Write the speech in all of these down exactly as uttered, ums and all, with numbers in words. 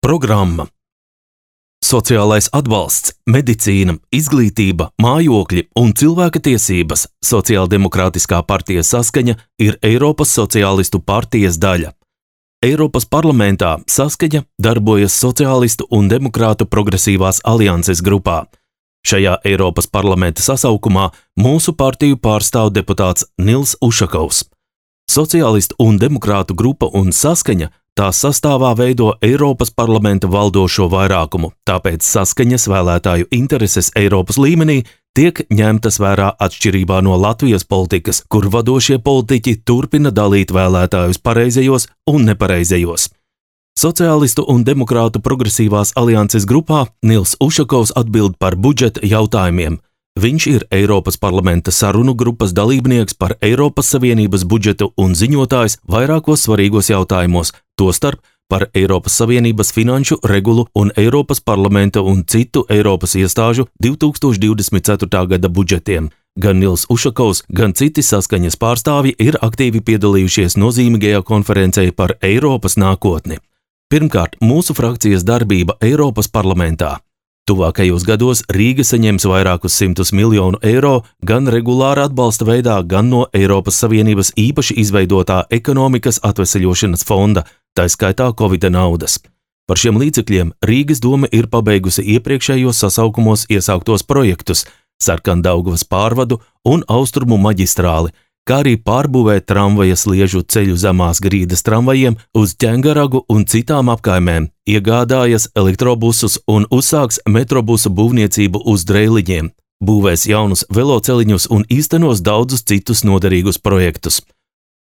Programma. Sociālais atbalsts, medicīna, izglītība, mājokļi un cilvēka tiesības Sociāldemokrātiskā partija Saskaņa ir Eiropas Sociālistu partijas daļa. Eiropas parlamentā Saskaņa darbojas Sociālistu un Demokrātu progresīvās alianses grupā. Šajā Eiropas parlamenta sasaukumā mūsu partiju pārstāv deputāts Nils Ušakovs. Sociālistu un Demokrātu grupa un Saskaņa tās sastāvā veido Eiropas parlamenta valdošo vairākumu, tāpēc Saskaņas vēlētāju intereses Eiropas līmenī tiek ņemtas vērā atšķirībā no Latvijas politikas, kur vadošie politiķi turpina dalīt vēlētājus pareizajos un nepareizajos. Sociālistu un Demokrātu progresīvās alianses grupā Nils Ušakovs atbild par budžeta jautājumiem. Viņš ir Eiropas parlamenta sarunu grupas dalībnieks par Eiropas Savienības budžetu un ziņotājs vairākos svarīgos jautājumos, tostarp par Eiropas Savienības finanšu regulu un Eiropas parlamenta un citu Eiropas iestāžu divi tūkstoši divdesmit ceturtā gada budžetiem. Gan Nils Ušakovs, gan citi Saskaņas pārstāvji ir aktīvi piedalījušies nozīmīgajā konferencē par Eiropas nākotni. Pirmkārt, mūsu frakcijas darbība Eiropas parlamentā. Tuvākajos gados Rīga saņems vairākus simtus miljonu eiro gan regulāra atbalsta veidā, gan no Eiropas Savienības īpaši izveidotā ekonomikas atveseļošanas fonda, tā skaitā Covida naudas. Par šiem līdzekļiem Rīgas doma ir pabeigusi iepriekšējos sasaukumos iesāktos projektus Sarkandaugavas pārvadu un Austrumu maģistrāli, kā arī pārbūvēt tramvaja sliežu ceļu zemās grīdas tramvajiem uz Ķengaragu un citām apkaimēm, iegādājas elektrobusus un uzsāks metrobusu būvniecību uz Dreiliņiem, būvēs jaunus veloceliņus un īstenos daudzus citus noderīgus projektus.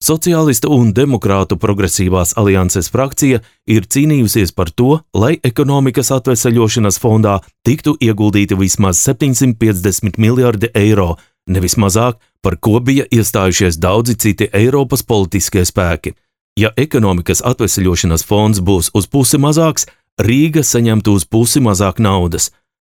Sociālistu un Demokrātu progresīvās alianses frakcija ir cīnījusies par to, lai ekonomikas atveseļošanas fondā tiktu ieguldīti vismaz septiņsimt piecdesmit miljardi eiro, nevis mazāk, par ko bija iestājušies daudzi citi Eiropas politiskie spēki. Ja ekonomikas atveseļošanas fonds būs uz pusi mazāks, Rīga saņemtu uz pusi mazāk naudas.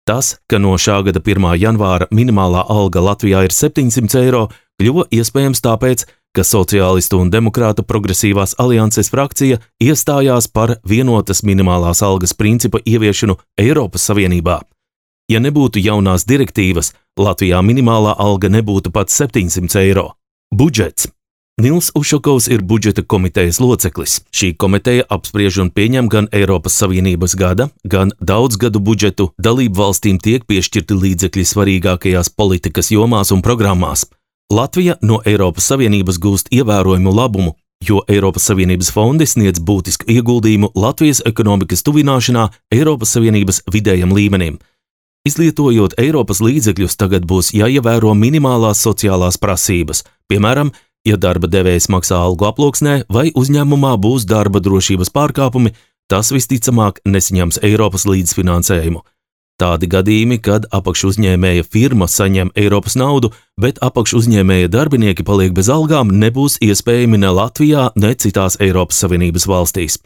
Tas, ka no šā gada pirmā janvāra minimālā alga Latvijā ir septiņsimt eiro, kļuva iespējams tāpēc, ka Sociālistu un Demokrātu progresīvās alianses frakcija iestājās par vienotas minimālās algas principa ieviešanu Eiropas Savienībā. Ja nebūtu jaunās direktīvas, Latvijā minimālā alga nebūtu pat septiņsimt eiro. Budžets. Nils Ušakovs ir budžeta komitejas loceklis. Šī komiteja apspriež un pieņem gan Eiropas Savienības gada, gan daudzgadu budžetu. Dalību valstīm tiek piešķirti līdzekļi svarīgākajās politikas jomās un programmās. Latvija no Eiropas Savienības gūst ievērojumu labumu, jo Eiropas Savienības fondi sniedz būtisku ieguldījumu Latvijas ekonomikas tuvināšanā Eiropas Savienības vidējam līmenim. Izlietojot Eiropas līdzekļus, tagad būs jāievēro minimālās sociālās prasības, piemēram, ja darba devējs maksā algu aploksnē vai uzņēmumā būs darba drošības pārkāpumi, tas visticamāk nesaņems Eiropas līdzfinansējumu. Tādi gadījumi, kad apakšuzņēmēja firma saņem Eiropas naudu, bet apakšuzņēmēja darbinieki paliek bez algām, nebūs iespējami ne Latvijā, ne citās Eiropas Savienības valstīs.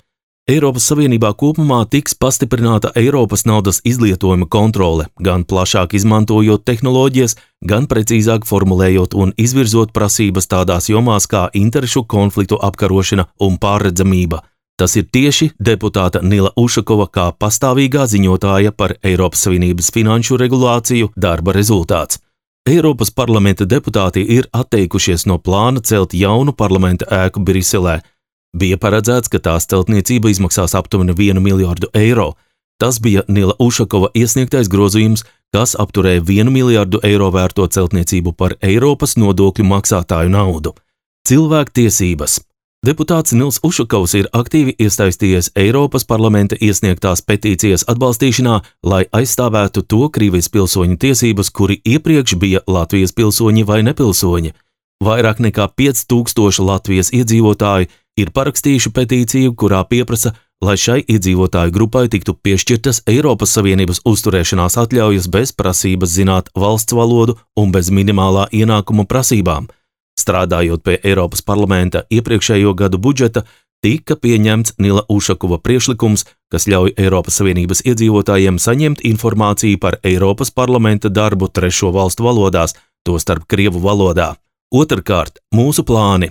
Eiropas Savienībā kopumā tiks pastiprināta Eiropas naudas izlietojuma kontrole, gan plašāk izmantojot tehnoloģijas, gan precīzāk formulējot un izvirzot prasības tādās jomās kā interešu konfliktu apkarošana un pārredzamība. Tas ir tieši deputāta Nila Ušakova kā pastāvīgā ziņotāja par Eiropas Savienības finanšu regulāciju darba rezultāts. Eiropas parlamenta deputāti ir atteikušies no plāna celt jaunu parlamenta ēku Briselē. Bija paredzēts, ka tās celtniecība izmaksās aptuveni vienu miljardu eiro. Tas bija Nila Ušakova iesniegtais grozījums, kas apturēja vienu miljardu eiro vērto celtniecību par Eiropas nodokļu maksātāju naudu. Cilvēku tiesības. Deputāts Nils Ušakovs ir aktīvi iesaistījies Eiropas parlamenta iesniegtās petīcijas atbalstīšanā, lai aizstāvētu to Krievijas pilsoņu tiesības, kuri iepriekš bija Latvijas pilsoņi vai nepilsoņi. Vairāk nekā pieci tūkstoši Latvijas iedzīvotāji ir parakstījuši petīciju, kurā pieprasa, lai šai iedzīvotāju grupai tiktu piešķirtas Eiropas Savienības uzturēšanās atļaujas bez prasības zināt valsts valodu un bez minimālā ienākuma prasībām. Strādājot pie Eiropas parlamenta iepriekšējo gadu budžeta, tika pieņemts Nila Ušakova priekšlikums, kas ļauj Eiropas Savienības iedzīvotājiem saņemt informāciju par Eiropas parlamenta darbu trešo valstu valodās, tostarp krievu valodā. Otrkārt, mūsu plāni.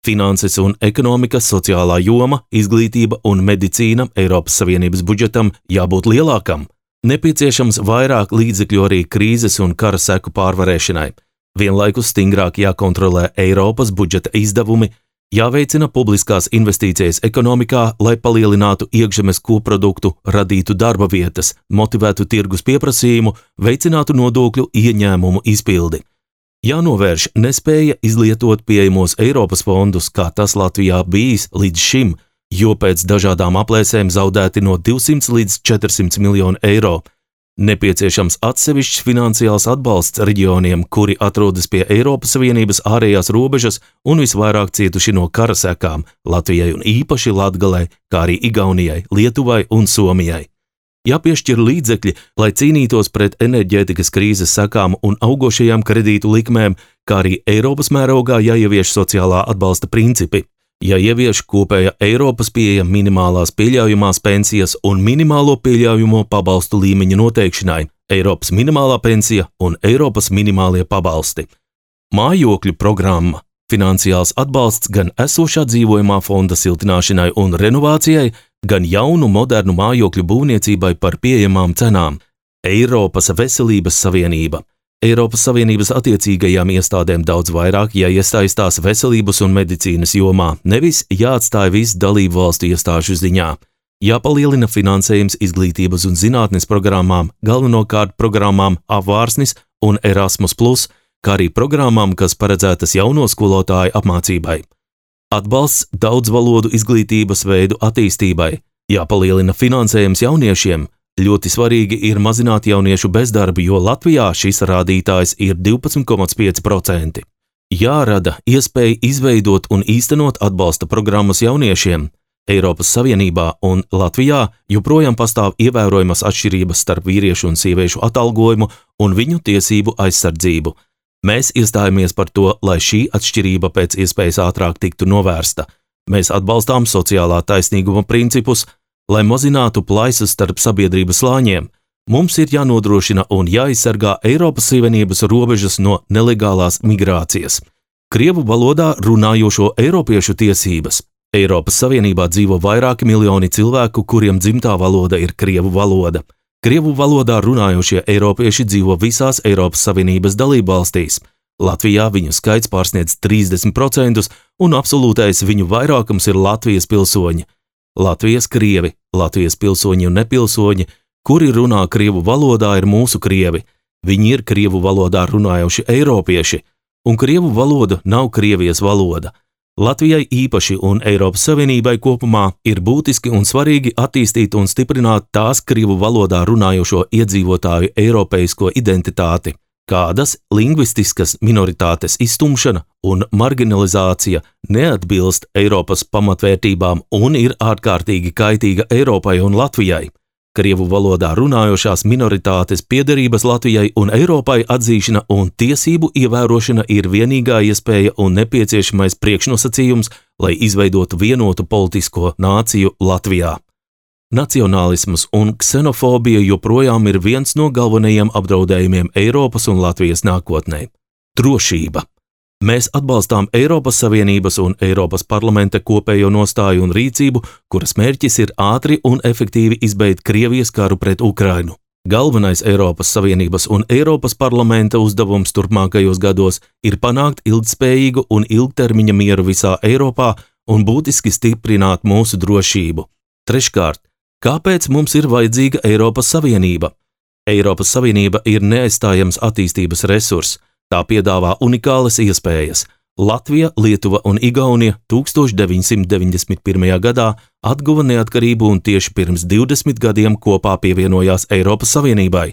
finanses un ekonomika, sociālā joma, izglītība un medicīna Eiropas Savienības budžetam jābūt lielākam. Nepieciešams vairāk līdzekļu arī krīzes un kara seku pārvarēšanai. Vienlaikus stingrāk jākontrolē Eiropas budžeta izdevumi, jāveicina publiskās investīcijas ekonomikā, lai palielinātu iekšzemes koproduktu, radītu darba vietas, motivētu tirgus pieprasījumu, veicinātu nodokļu ieņēmumu izpildi. Jānovērš nespēja izlietot pieejamos Eiropas fondus, kā tas Latvijā bijis līdz šim, jo pēc dažādām aplēsēm zaudēti no divsimt līdz četrsimt miljonu eiro. Nepieciešams atsevišķs finansiāls atbalsts reģioniem, kuri atrodas pie Eiropas Savienības ārējās robežas un visvairāk cietuši no kara sekām Latvijai un īpaši Latgalei, kā arī Igaunijai, Lietuvai un Somijai. Jāpiešķir līdzekļi, lai cīnītos pret enerģētikas krīzes sekām un augošajām kredītu likmēm, kā arī Eiropas mērogā jāievieš sociālā atbalsta principi. Jāievieš kopēja Eiropas pieeja minimālās pieļaujamās pensijas un minimālo pieļaujamo pabalstu līmeņa noteikšanai, Eiropas minimālā pensija un Eiropas minimālie pabalsti. Mājokļu programma, finansiāls atbalsts gan esošā dzīvojamā fonda siltināšanai un renovācijai, gan jaunu modernu mājokļu būvniecībai par pieejamām cenām. Eiropas veselības savienība. Eiropas Savienības attiecīgajām iestādēm daudz vairāk jāiesaistās veselības un medicīnas jomā, nevis jāatstāj visu dalību valstu iestāžu ziņā. Jāpalielina finansējums izglītības un zinātnes programmām, galvenokārt programmām Apvārsnis un Erasmus plus, kā arī programmām, kas paredzētas jauno skolotāju apmācībai. Atbalsts daudzvalodu izglītības veidu attīstībai. Jāpalielina finansējums jauniešiem. Ļoti svarīgi ir mazināt jauniešu bezdarbu, jo Latvijā šis rādītājs ir divpadsmit komats pieci procenti. Jārada iespēja izveidot un īstenot atbalsta programmas jauniešiem. Eiropas Savienībā un Latvijā joprojām pastāv ievērojamas atšķirības starp vīriešu un sieviešu atalgojumu un viņu tiesību aizsardzību. Mēs iestājamies par to, lai šī atšķirība pēc iespējas ātrāk tiktu novērsta. Mēs atbalstām sociālā taisnīguma principus, lai mazinātu plaisas starp sabiedrības slāņiem. Mums ir jānodrošina un jāaizsargā Eiropas Savienības robežas no nelegālās migrācijas. Krievu valodā runājošo eiropiešu tiesības. Eiropas Savienībā dzīvo vairāki miljoni cilvēku, kuriem dzimtā valoda ir krievu valoda. Krievu valodā runājošie eiropieši dzīvo visās Eiropas Savienības dalībvalstīs. Latvijā viņu skaits pārsniedz trīsdesmit procentus un absolūtais viņu vairākums ir Latvijas pilsoņi. Latvijas krievi, Latvijas pilsoņi un nepilsoņi, kuri runā krievu valodā, ir mūsu krievi. Viņi ir krievu valodā runājoši eiropieši, un krievu valoda nav Krievijas valoda. Latvijai īpaši un Eiropas Savienībai kopumā ir būtiski un svarīgi attīstīt un stiprināt tās krievu valodā runājošo iedzīvotāju eiropeisko identitāti, kādas lingvistiskas minoritātes izstumšana un marginalizācija neatbilst Eiropas pamatvērtībām un ir ārkārtīgi kaitīga Eiropai un Latvijai. Krievu valodā runājošās minoritātes piederības Latvijai un Eiropai atzīšana un tiesību ievērošana ir vienīgā iespēja un nepieciešamais priekšnosacījums, lai izveidotu vienotu politisko nāciju Latvijā. Nacionālisms un ksenofobija joprojām ir viens no galvenajiem apdraudējumiem Eiropas un Latvijas nākotnē. Drošība. Mēs atbalstām Eiropas Savienības un Eiropas parlamenta kopējo nostāju un rīcību, kuras mērķis ir ātri un efektīvi izbeigt Krievijas karu pret Ukrainu. Galvenais Eiropas Savienības un Eiropas parlamenta uzdevums turpmākajos gados ir panākt ilgtspējīgu un ilgtermiņa mieru visā Eiropā un būtiski stiprināt mūsu drošību. Treškārt, kāpēc mums ir vajadzīga Eiropas Savienība? Eiropas Savienība ir neaizstājams attīstības resurss. Tā piedāvā unikālas iespējas. Latvija, Lietuva un Igaunija tūkstoš deviņsimt deviņdesmit pirmajā gadā atguva neatkarību un tieši pirms divdesmit gadiem kopā pievienojās Eiropas Savienībai.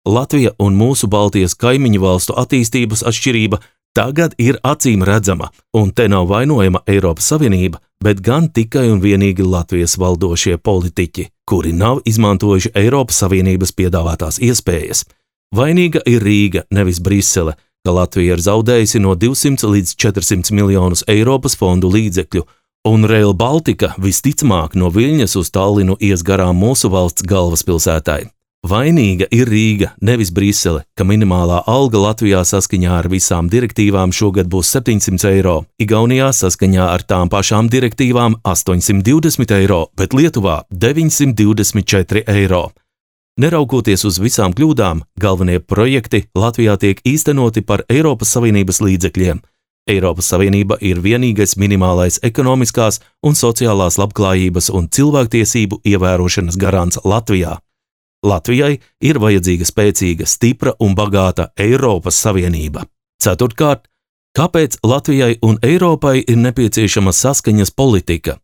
Latvija un mūsu Baltijas kaimiņu valstu attīstības atšķirība tagad ir acīm redzama, un te nav vainojama Eiropas Savienība, bet gan tikai un vienīgi Latvijas valdošie politiķi, kuri nav izmantojuši Eiropas Savienības piedāvātās iespējas. Vainīga ir Rīga, nevis Brisele, ka Latvija ir zaudējusi no divsimt līdz četrsimt miljonus Eiropas fondu līdzekļu, un Rail Baltica visticamāk no Viļņas uz Tallinu ies garām mūsu valsts galvaspilsētai. Vainīga ir Rīga, nevis Brisele, ka minimālā alga Latvijā saskaņā ar visām direktīvām šogad būs septiņsimt eiro, Igaunijā saskaņā ar tām pašām direktīvām astoņsimt divdesmit eiro, bet Lietuvā deviņsimt divdesmit četri eiro. Neraugoties uz visām kļūdām, galvenie projekti Latvijā tiek īstenoti par Eiropas Savienības līdzekļiem. Eiropas Savienība ir vienīgais minimālais ekonomiskās un sociālās labklājības un cilvēktiesību ievērošanas garants Latvijā. Latvijai ir vajadzīga spēcīga, stipra un bagāta Eiropas Savienība. Ceturtkārt, kāpēc Latvijai un Eiropai ir nepieciešama saskaņas politika?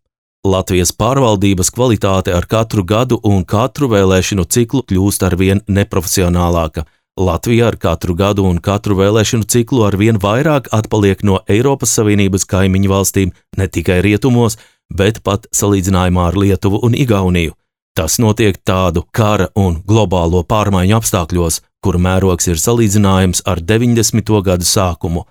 Latvijas pārvaldības kvalitāte ar katru gadu un katru vēlēšanu ciklu kļūst arvien neprofesionālāka. Latvija ar katru gadu un katru vēlēšanu ciklu arvien vairāk atpaliek no Eiropas Savienības kaimiņu valstīm ne tikai rietumos, bet pat salīdzinājumā ar Lietuvu un Igauniju. Tas notiek tādu kara un globālo pārmaiņu apstākļos, kuru mērogs ir salīdzinājums ar deviņdesmito gadu sākumu.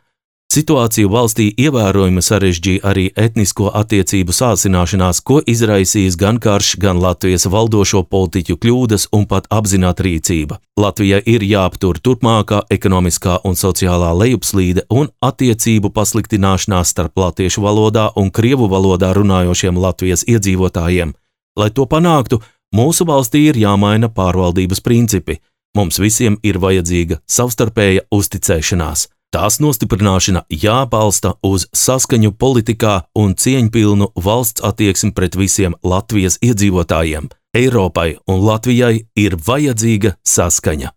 Situāciju valstī ievērojami sarežģīja arī etnisko attiecību sāsināšanās, ko izraisījis gan karš, gan Latvijas valdošo politiķu kļūdas un pat apzināta rīcība. Latvijai ir jāaptur turpmākā ekonomiskā un sociālā lejupslīde un attiecību pasliktināšanās starp latviešu valodā un krievu valodā runājošiem Latvijas iedzīvotājiem. Lai to panāktu, mūsu valstī ir jāmaina pārvaldības principi. Mums visiem ir vajadzīga savstarpēja uzticēšanās. Tās nostiprināšana jābalsta uz saskaņu politikā un cieņpilnu valsts attieksmi pret visiem Latvijas iedzīvotājiem. Eiropai un Latvijai ir vajadzīga saskaņa.